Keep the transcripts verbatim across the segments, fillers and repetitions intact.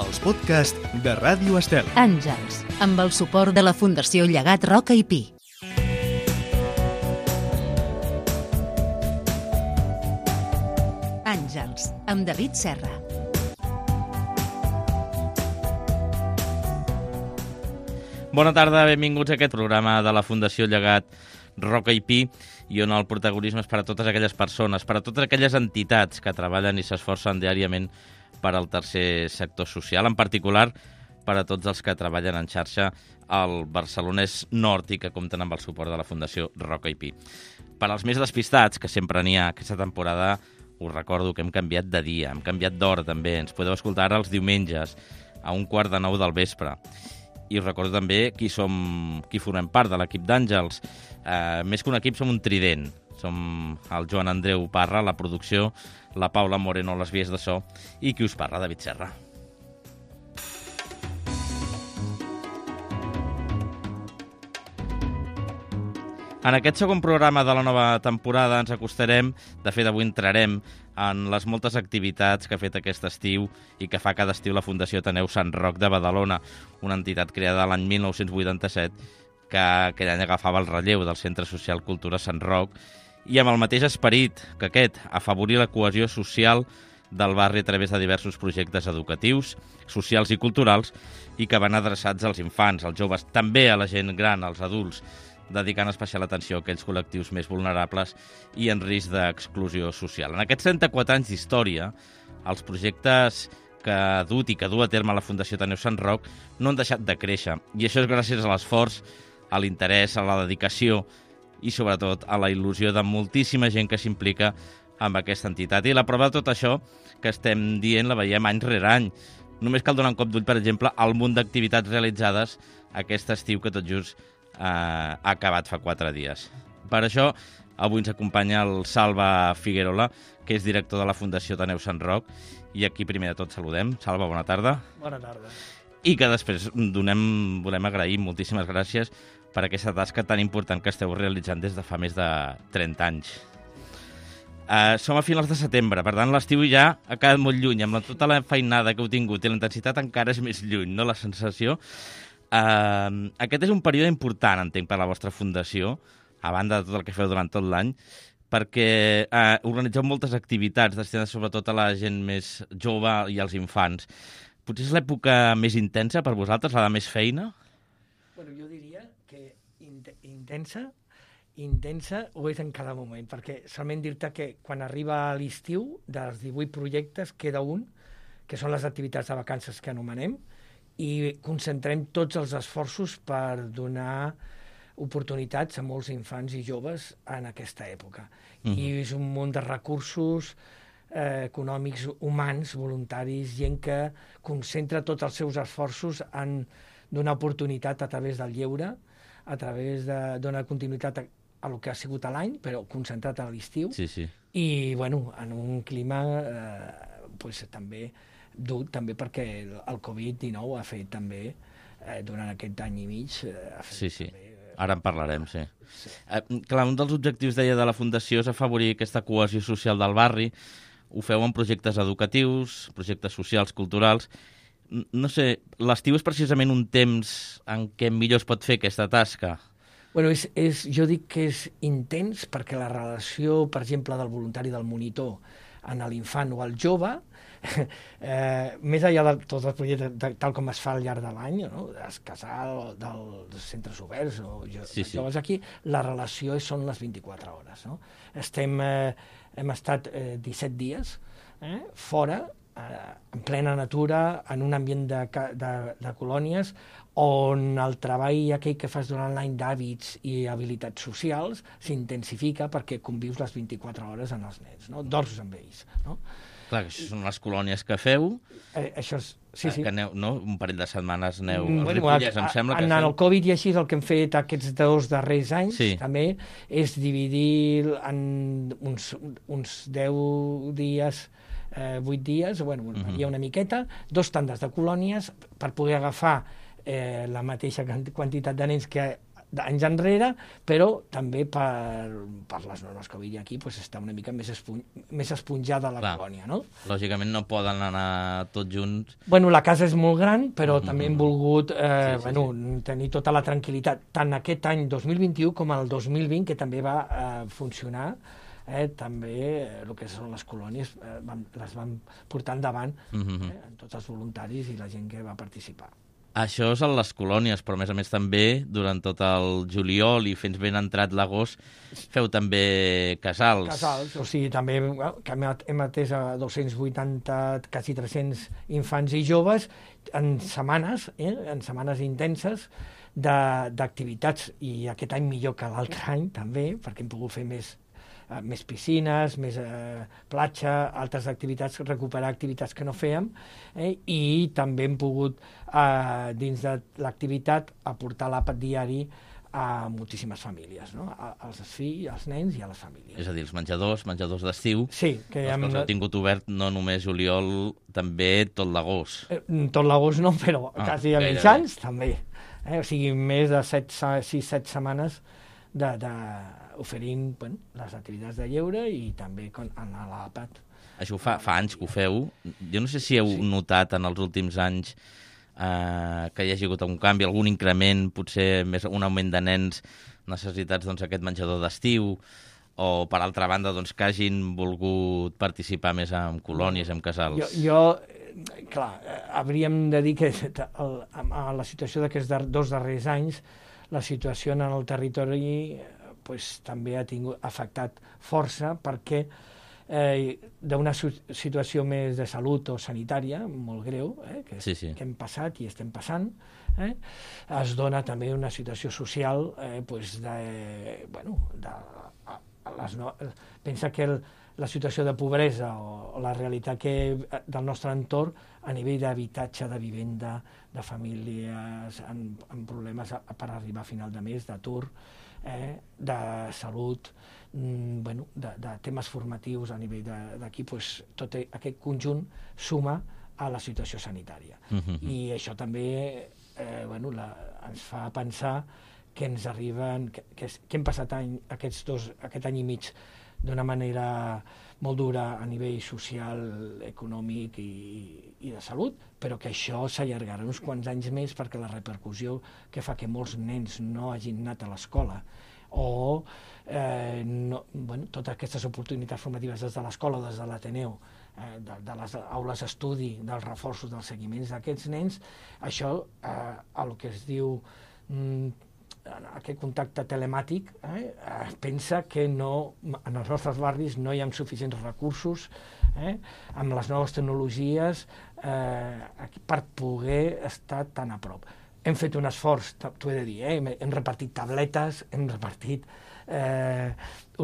els podcasts de Ràdio Estel. Àngels, amb el suport de la Fundació Llegat Roca i Pi. Àngels, amb David Serra. Bona tarda, benvinguts a aquest programa de la Fundació Llegat Roca i Pi, i on el protagonisme és per a totes aquelles persones, per a totes aquelles entitats que treballen i s'esforcen diàriament per al tercer sector social, en particular per a tots els que treballen en xarxa al Barcelonès Nord i que compten amb el suport de la Fundació Roca i Pi. Per als més despistats, que sempre n'hi ha aquesta temporada, us recordo que hem canviat de dia, hem canviat d'hora també, ens podeu escoltar ara els diumenges a un quart de nou del vespre. I us recordo també qui som, qui formem part de l'equip d'Àngels. Eh, més que un equip, som un trident. Som el Joan Andreu Parra, la producció, la Paula Moreno, les vies de so, i qui us parla, David Serra. En aquest segon programa de la nova temporada ens acostarem, de fet avui entrarem en les moltes activitats que ha fet aquest estiu i que fa cada estiu la Fundació Ateneu Sant Roc de Badalona, una entitat creada l'any mil nou-cents vuitanta-set que aquell any agafava el relleu del Centre Social Cultura Sant Roc i amb el mateix esperit que aquest, afavorir la cohesió social del barri a través de diversos projectes educatius, socials i culturals i que van adreçats als infants, als joves, també a la gent gran, als adults, dedicant especial atenció a aquells col·lectius més vulnerables i en risc d'exclusió social. En aquests trenta-quatre anys d'història, els projectes que ha dut i que du a terme la Fundació Ateneu Sant Roc no han deixat de créixer, i això és gràcies a l'esforç, a l'interès, a la dedicació i sobretot a la il·lusió de moltíssima gent que s'implica amb aquesta entitat. I la prova de tot això que estem dient la veiem any rere any. Només cal donar un cop d'ull, per exemple, al munt d'activitats realitzades aquest estiu que tot just eh, ha acabat fa quatre dies. Per això, avui ens acompanya el Salva Figuerola, que és director de la Fundació Ateneu Sant Roc, i aquí primer de tot saludem. Salva, bona tarda. Bona tarda. I que després donem, volem agrair moltíssimes gràcies per aquesta tasca tan important que esteu realitzant des de fa més de trenta anys. Uh, som a finals de setembre, per tant l'estiu ja ha quedat molt lluny, amb la, tota la feinada que heu tingut i la intensitat encara és més lluny, no?, la sensació. Uh, aquest és un període important, entenc, per a la vostra fundació, a banda de tot el que feu durant tot l'any, perquè uh, organitzeu moltes activitats destinades sobretot a la gent més jove i als infants. Potser és l'època més intensa per vosaltres, la de més feina? Bueno, jo diria que int intensa, intensa ho és en cada moment, perquè solament dir-te que quan arriba l'estiu, dels divuit projectes, queda un, que són les activitats de vacances que anomenem, i concentrem tots els esforços per donar oportunitats a molts infants i joves en aquesta època. Mm-hmm. I és un munt de recursos eh, econòmics, humans, voluntaris, gent que concentra tots els seus esforços en donar oportunitat a través del lleure, a través de donar continuïtat a, a el que ha sigut l'any, però concentrat a l'estiu. Sí, sí. I, bueno, en un clima eh, pues, també dur, també perquè el, el covid dinou ha fet també, eh, durant aquest any i mig... Eh, ha fet sí, sí. També, ara en parlarem, sí. sí. Eh, clar, un dels objectius, deia, de la Fundació és afavorir aquesta cohesió social del barri. Ho feu en projectes educatius, projectes socials, culturals. No sé, l'estiu és precisament un temps en què millor es pot fer aquesta tasca? Bueno, és, és, jo dic que és intens perquè la relació, per exemple, del voluntari del monitor en l'infant o al jove, eh, més enllà de tots els projectes de, tal com es fa al llarg de l'any, no? Es casal, dels centres oberts o jo, sí, sí. joves aquí, la relació són les vint-i-quatre hores. No? Estem, eh, hem estat eh, disset dies eh, fora, en plena natura, en un ambient de, de, de colònies, on el treball aquell que fas durant l'any d'hàbits i habilitats socials s'intensifica perquè convius les vint-i-quatre hores amb els nens, no? Dors amb ells. No? Clar, que això són les colònies que feu, eh, això és, sí, sí. que aneu, no? Un parell de setmanes aneu Mm, als bueno, Ripollès, em sembla que... En el Covid i així el que hem fet aquests dos darrers anys sí. també és dividir en uns, uns deu dies, eh, vuit dies, bueno, uh-huh. hi ha una miqueta, dos tandes de colònies per poder agafar eh, la mateixa quantitat de nens que d'anys enrere, però també per, per les normes que avui aquí pues, està una mica més, espon, més esponjada la Clar. colònia, no? Lògicament no poden anar tots junts. Bueno, la casa és molt gran, però Mm-hmm. també hem volgut eh, Sí, sí, bueno, tenir tota la tranquil·litat, tant aquest any dos mil vint-i-u com el dos mil vint, que també va eh, funcionar, eh, també eh, el que són les colònies eh, van, les van portar endavant Mm-hmm. eh, amb tots els voluntaris i la gent que va participar. Això és a les colònies, però a més a més també durant tot el juliol i fins ben entrat l'agost feu també casals. Casals, o sigui, també que hem hem atès a dos-cents vuitanta, quasi tres-cents infants i joves en setmanes, eh, en setmanes intenses de- d'activitats, i aquest any millor que l'altre any també, perquè hem pogut fer més eh, més piscines, més eh, platja, altres activitats, recuperar activitats que no fèiem, eh, i també hem pogut, eh, dins de l'activitat, aportar l'àpat diari a moltíssimes famílies, no? A, als fills, als nens i a les famílies. És a dir, els menjadors, menjadors d'estiu, Sí, que els hem, quals heu tingut obert no només juliol, també tot l'agost. eh, tot l'agost no, però Ah, quasi a gairebé. mitjans també. Eh? O sigui, més de sis set setmanes de, de oferint bueno, les activitats de lleure i també con, en l'àpat. Això fa, fa anys que ho feu. Jo no sé si heu Sí. notat en els últims anys eh, que hi hagi hagut un canvi, algun increment, potser més un augment de nens necessitats doncs, aquest menjador d'estiu, o per altra banda doncs, que hagin volgut participar més en colònies, en casals. Jo, jo eh, clar, eh, hauríem de dir que el, a la situació d'aquests dar, dos darrers anys, la situació en el territori eh, pues, també ha tingut ha afectat força perquè eh, d'una situació més de salut o sanitària molt greu, eh, que, Sí, sí. que hem passat i estem passant, eh, es dona també una situació social eh, pues de, bueno, de, a, a les no, pensa que el, la situació de pobresa o, o la realitat que, del nostre entorn a nivell d'habitatge, de vivenda, de famílies amb, amb problemes a, per arribar a final de mes, d'atur, eh, de salut, mm, bueno, de, de temes formatius a nivell d'aquí, pues, tot aquest conjunt suma a la situació sanitària. Mhm. I això també eh, bueno, la, ens fa pensar que ens arriben, que, que, que hem passat any, aquests dos, aquest any i mig d'una manera molt dura a nivell social, econòmic i, i de salut, però que això s'allargarà uns quants anys més perquè la repercussió que fa que molts nens no hagin anat a l'escola o eh, no, bueno, totes aquestes oportunitats formatives des de l'escola o des de l'Ateneu, eh, de, de les aules d'estudi, dels reforços, dels seguiments d'aquests nens, això, eh, el que es diu mm, aquest contacte telemàtic, eh, eh, pensa que no, en els nostres barris no hi ha suficients recursos eh, amb les noves tecnologies eh, per poder estar tan a prop. Hem fet un esforç, t'ho he de dir, eh, hem, hem repartit tabletes, hem repartit eh,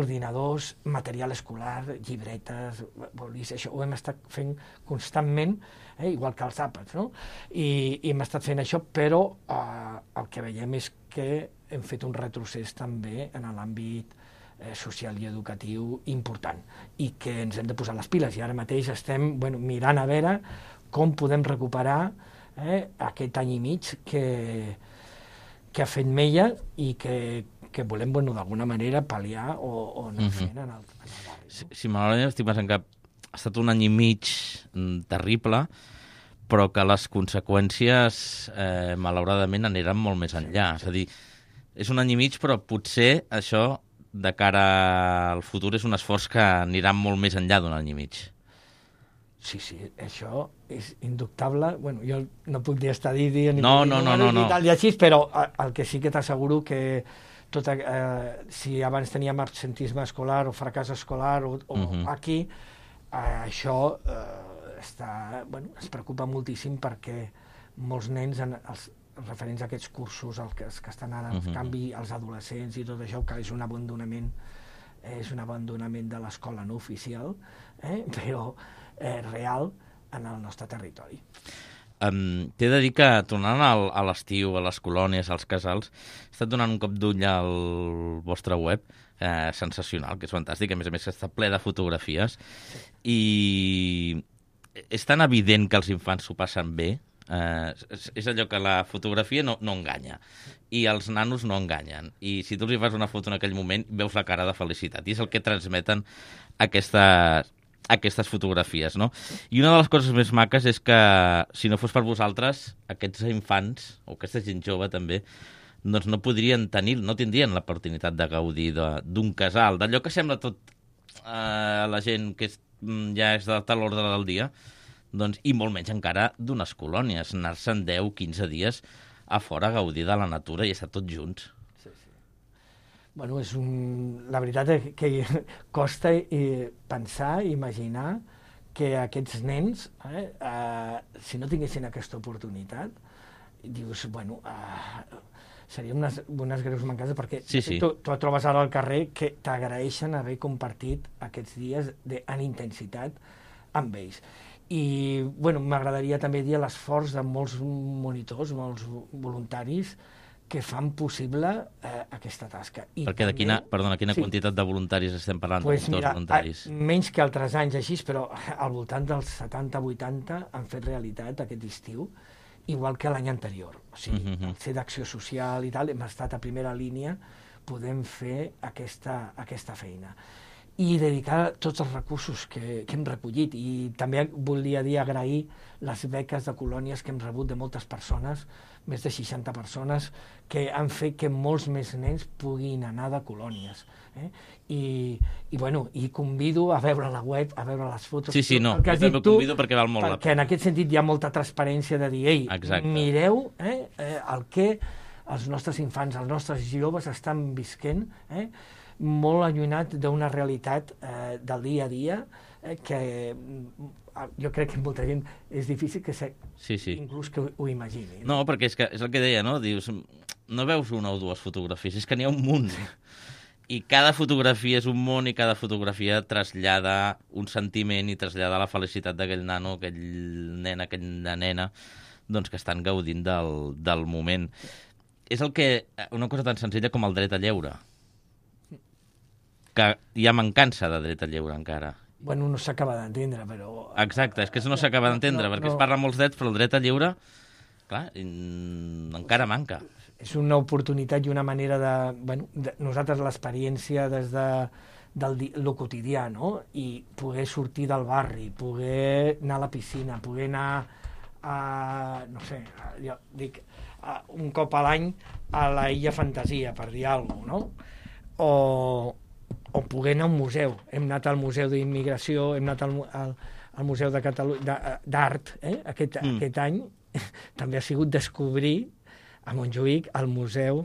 ordinadors, material escolar, llibretes, bolis, això ho hem estat fent constantment, eh, igual que els àpats, no? I, i hem estat fent això, però eh, el que veiem és que hem fet un retrocés també en l'àmbit eh, social i educatiu important i que ens hem de posar les piles i ara mateix estem bueno, mirant a veure com podem recuperar eh, aquest any i mig que, que ha fet Mella i que, que volem bueno, d'alguna manera pal·liar o, o anar Mhm. fent en el, en el barri. Si, si malauradament estic pensant que ha estat un any i mig mm, terrible, però que les conseqüències, eh, malauradament, aniran molt més enllà. És a dir, és un any i mig, però potser això, de cara al futur, és un esforç que anirà molt més enllà d'un any i mig. Sí, sí, això és indubtable. Bueno, jo no puc dir estadística ni No, puc dir no, no, números no, ni no. tal i així, però eh, el que sí que t'asseguro que tot, eh, si abans teníem absentisme escolar o fracàs escolar o, o Mhm. aquí, eh, això eh, està, bueno, ens preocupa moltíssim perquè molts nens, en, els referents a aquests cursos, els que, els que estan ara, en Mhm. canvi, els adolescents i tot això, que és un abandonament, és un abandonament de l'escola no oficial, eh, però eh, real en el nostre territori. Um, T'he de dir que, tornant al, a l'estiu, a les colònies, als casals, he estat donant un cop d'ull al vostre web, eh, sensacional, que és fantàstic, a més a més està ple de fotografies, i és tan evident que els infants s'ho passen bé Eh, és, és allò que la fotografia no, no enganya i els nanos no enganyen. I si tu els hi fas una foto en aquell moment, veus la cara de felicitat. I és el que transmeten aquestes, aquestes fotografies, no? I una de les coses més maques és que, si no fos per vosaltres, aquests infants, o aquesta gent jove també, doncs no podrien tenir, no tindrien l'oportunitat de gaudir d'un casal, d'allò que sembla tot a eh, la gent que és, ja és de tal ordre del dia, doncs, i molt menys encara d'unes colònies, anar-se'n deu, quinze dies a fora a gaudir de la natura i estar tots junts. Sí, sí. Bueno, és un... la veritat és que costa eh, pensar, imaginar que aquests nens, eh, eh, si no tinguessin aquesta oportunitat, dius, bueno, eh, seria unes, unes greus mancances, perquè sí, sí. tu, tu et trobes ara al carrer que t'agraeixen haver compartit aquests dies de, en intensitat amb ells. I bueno, m'agradaria també dir l'esforç de molts monitors, molts voluntaris, que fan possible eh, aquesta tasca. I perquè de quina, també, perdona, quina sí, quantitat de voluntaris estem parlant? Pues de mira, voluntaris? A, menys que altres anys així, però al voltant dels setanta vuitanta han fet realitat aquest estiu, igual que l'any anterior. O sigui, uh -huh. ser d'acció social i tal, hem estat a primera línia, podem fer aquesta, aquesta feina. I dedicar tots els recursos que, que hem recollit. I també volia dir agrair les beques de colònies que hem rebut de moltes persones, més de seixanta persones, que han fet que molts més nens puguin anar de colònies. Eh? I, i, bueno, i convido a veure la web, a veure les fotos. Sí, sí, no, jo també tu, convido perquè val molt la pena. Perquè en aquest sentit hi ha molta transparència de dir, ei, exacte. Mireu eh, eh, el que els nostres infants, els nostres joves estan visquent, eh, molt allunyat d'una realitat eh, del dia a dia eh, que jo crec que molta gent és difícil que se, sí, sí. inclús que ho, ho imagini. No, perquè és, que, és el que deia, no? Dius, no veus una o dues fotografies, és que n'hi ha un munt. I cada fotografia és un món i cada fotografia trasllada un sentiment i trasllada la felicitat d'aquell nano, aquell nen, aquella nena, doncs que estan gaudint del, del moment. És el que, una cosa tan senzilla com el dret a lleure, que hi ha mancança de dret a lleure encara. Bueno, no s'acaba d'entendre, però... Exacte, és que això no s'acaba d'entendre, no, perquè no. Es parla molts drets, però el dret a lleure, clar, encara manca. És una oportunitat i una manera de... Bueno, de nosaltres l'experiència des de del lo quotidià, no? I poder sortir del barri, poder anar a la piscina, poder anar a... no sé, jo dic, a, un cop a l'any a la Illa Fantasia, per dir alguna cosa, no? O... o poder anar a un museu. Hem anat al Museu d'Immigració, hem anat al, al, al Museu de Catalunya d'Art, eh? aquest, mm. aquest any també ha sigut descobrir a Montjuïc el Museu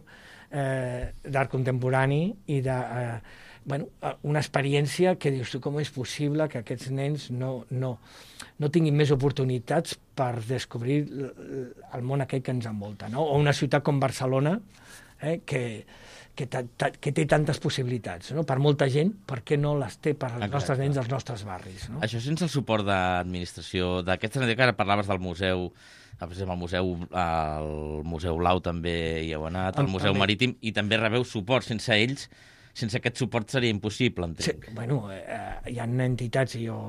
eh, d'Art Contemporani i de, eh, bueno, una experiència que dius tu com és possible que aquests nens no, no, no tinguin més oportunitats per descobrir el món aquell que ens envolta, no? O una ciutat com Barcelona, eh, que Que, ta, ta, que té tantes possibilitats, no? Per molta gent, per què no les té per als Exacte. nostres nens dels nostres barris, no? Això sense el suport d'administració, d'aquesta que ara parlaves del museu, per exemple, el museu, el Museu Blau també hi heu anat, el, el Museu també. Marítim, i també rebeu suport. Sense ells, sense aquest suport seria impossible, entenc. Sí, bueno, eh, hi ha entitats, i jo,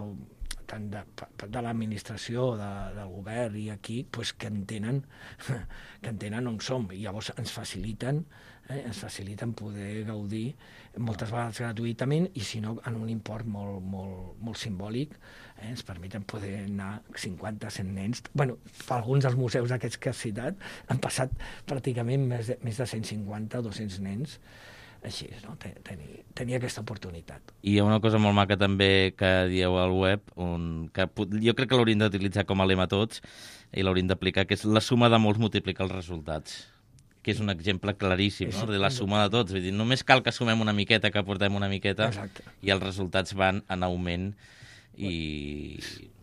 tant de, de l'administració, de, del govern i aquí, pues, que entenen que entenen on som, i llavors ens faciliten Eh, ens faciliten poder gaudir moltes vegades gratuïtament i si no en un import molt, molt, molt simbòlic, eh, ens permeten poder anar cinquanta, cent nens. Bueno, per alguns dels museus aquests que has citat han passat pràcticament més de, més de cent cinquanta o dos-cents nens així, no? Tenir, tenir aquesta oportunitat. I hi ha una cosa molt maca també que dieu al web, on, que jo crec que l'hauríem d'utilitzar com a lema tots i l'hauríem d'aplicar, que és la suma de molts multiplica els resultats, que és un exemple claríssim, no? De la suma de tots. Vull dir, només cal que sumem una miqueta, que aportem una miqueta, Exacte. I els resultats van en augment i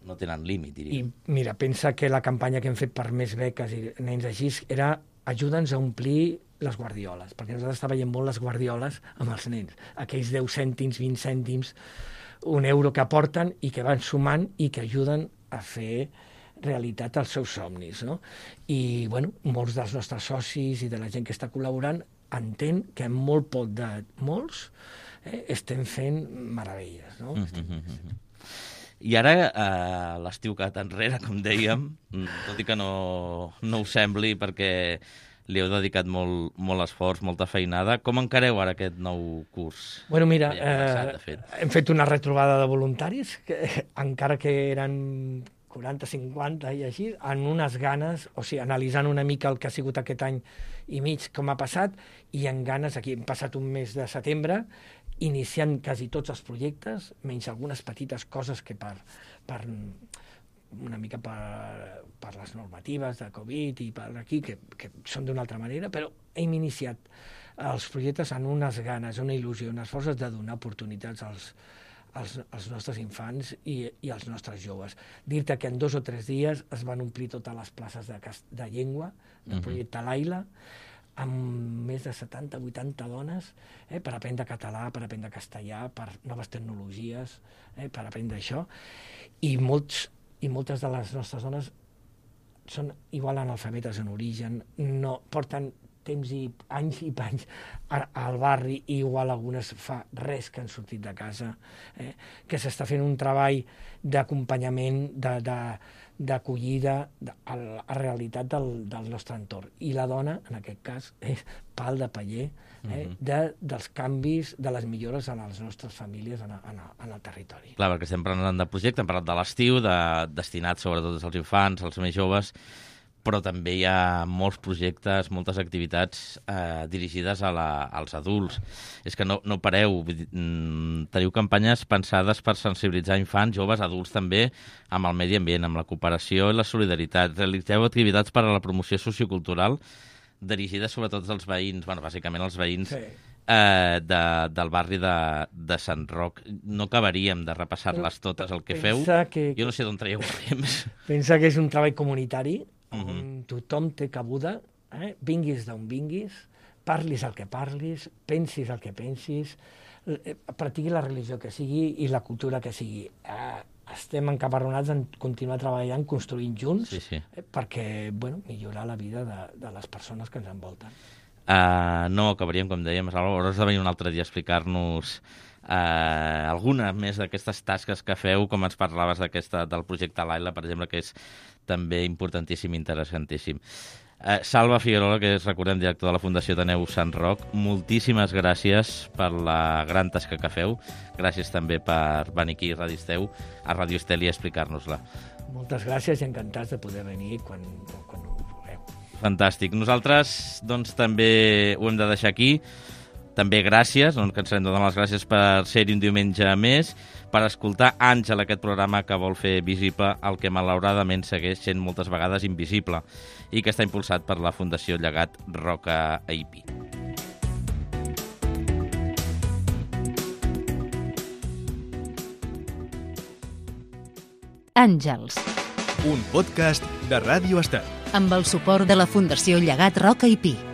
no tenen límit, diria. I mira, pensa que la campanya que hem fet per més beques i nens així era ajuda'ns a omplir les guardioles, perquè nosaltres està veient molt les guardioles amb els nens. Aquells deu cèntims, vint cèntims, un euro que aporten i que van sumant i que ajuden a fer realitat als seus somnis, no? I, bueno, molts dels nostres socis i de la gent que està col·laborant entén que amb molt poc de molts eh, estem fent meravelles, no? Mm-hmm. I ara, eh, l'estiu que enrere, com dèiem, tot i que no, no ho sembli, perquè li heu dedicat molt, molt esforç, molta feinada. Com encareu ara aquest nou curs? Bueno, mira, Ja hem començat, de eh, fet. hem fet una retrobada de voluntaris, que, encara que eren quaranta, cinquanta i així, en unes ganes, o sigui, analitzant una mica el que ha sigut aquest any i mig, com ha passat, i en ganes, aquí hem passat un mes de setembre, iniciant quasi tots els projectes, menys algunes petites coses que per, per una mica per, per les normatives de Covid i per aquí, que, que són d'una altra manera, però hem iniciat els projectes en unes ganes, una il·lusió, unes forces de donar oportunitats als, als, als nostres infants i, i als nostres joves. Dir-te que en dos o tres dies es van omplir totes les places de, de llengua del projecte Laila, amb més de setanta o vuitanta dones, eh, per aprendre català, per aprendre castellà, per noves tecnologies, eh, per aprendre això. I, molts, I moltes de les nostres dones són igual analfabetes en origen, no, porten temps i anys i panys al barri, i igual algunes fa res que han sortit de casa, eh, que s'està fent un treball d'acompanyament, de, de, d'acollida a la realitat del, del nostre entorn. I la dona, en aquest cas, és pal de paller eh, de, dels canvis, de les millores en les nostres famílies en, en, en el territori. Clar, perquè estem parlant de projecte, hem parlat de l'estiu, de, destinat sobretot als infants, als més joves, però també hi ha molts projectes, moltes activitats eh, dirigides a la, als adults. És que no, no pareu, teniu campanyes pensades per sensibilitzar infants, joves, adults també, amb el medi ambient, amb la cooperació i la solidaritat. Realitzeu activitats per a la promoció sociocultural dirigides sobretot als veïns, bueno, bàsicament als veïns sí. eh, de, del barri de, de Sant Roc. No acabaríem de repassar-les totes el que feu. Que, jo no sé d'on traieu temps. Pensa que és un treball comunitari, on Uh-huh. tothom té cabuda, eh? Vinguis d'on vinguis, parlis el que parlis, pensis el que pensis, eh, practiqui la religió que sigui i la cultura que sigui. Eh, estem encaparronats en continuar treballant, construint junts, sí, sí. Eh, perquè bueno, millorar la vida de, de les persones que ens envolten. Uh, no acabaríem, com dèiem, hauràs de venir un altre dia a explicar-nos uh, alguna més d'aquestes tasques que feu, com ens parlaves d'aquesta del projecte Laila, per exemple, que és també importantíssim i interessantíssim. Uh, Salva Figuerola, que és, recordem, director de la Fundació Ateneu Sant Roc, moltíssimes gràcies per la gran tasca que feu. Gràcies també per venir aquí a Ràdio Estel, a Ràdio Estel i explicar-nos-la. Moltes gràcies i encantats de poder venir quan, quan ho vulgueu. Fantàstic. Nosaltres, doncs, també ho hem de deixar aquí. També gràcies, no ens cansarem de donar les gràcies per ser-hi un diumenge més, per escoltar Àngel, aquest programa que vol fer visible el que malauradament segueix sent moltes vegades invisible i que està impulsat per la Fundació Llegat Roca I P I. Àngels. Un podcast de Ràdio Estel. Amb el suport de la Fundació Llegat Roca I P I.